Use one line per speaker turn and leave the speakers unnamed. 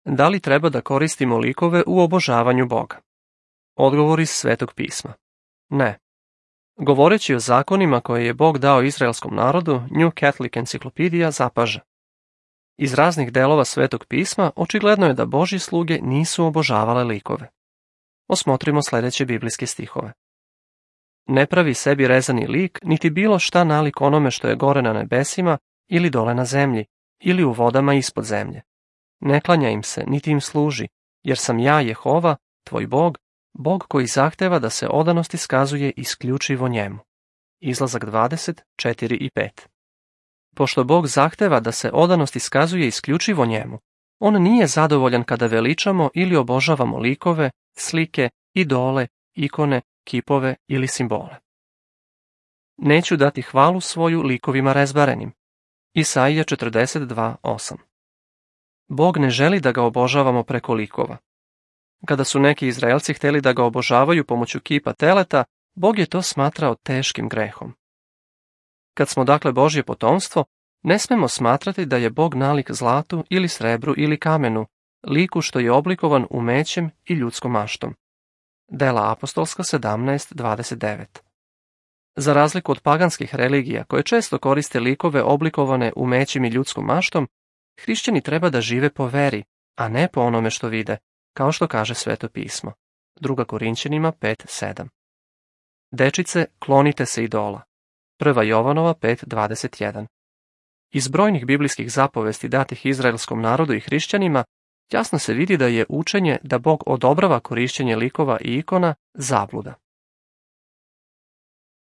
Da li treba da koristimo likove u obožavanju Boga? Odgovor iz Svetog pisma. Ne. Govoreći o zakonima koje je Bog dao izraelskom narodu, New Catholic Encyclopedia zapaža. Iz raznih delova Svetog pisma očigledno je da Božji sluge nisu obožavale likove. Osmotrimo sledeće biblijske stihove. Ne pravi sebi rezani lik, niti bilo šta nalik onome što je gore na nebesima ili dole na zemlji, ili u vodama ispod zemlje. Ne klanja im se, niti im služi, jer sam ja Jehova, tvoj Bog, Bog koji zahteva da se odanost iskazuje isključivo njemu. Izlazak 20, 4 i 5. Pošto Bog zahteva da se odanost iskazuje isključivo njemu, on nije zadovoljan kada veličamo ili obožavamo likove, slike, idole, ikone, kipove ili simbole. Neću dati hvalu svoju likovima rezbarenim. Isaija 42:8. Bog ne želi da ga obožavamo preko likova. Kada su neki Izraelci hteli da ga obožavaju pomoću kipa teleta, Bog je to smatrao teškim grehom. Kad smo dakle Božje potomstvo, ne smemo smatrati da je Bog nalik zlatu ili srebru ili kamenu, liku što je oblikovan umećem i ljudskom maštom. Dela apostolska 17:29. Za razliku od paganskih religija koje često koriste likove oblikovane umećem i ljudskom maštom, hrišćani treba da žive po veri, a ne po onome što vide, kao što kaže Sveto pismo. 2. Korinćanima 5:7. Dečice, klonite se idola. 1. Jovanova 5:21. Iz brojnih biblijskih zapovesti datih izraelskom narodu i hrišćanima, jasno se vidi da je učenje da Bog odobrava korišćenje likova i ikona zabluda.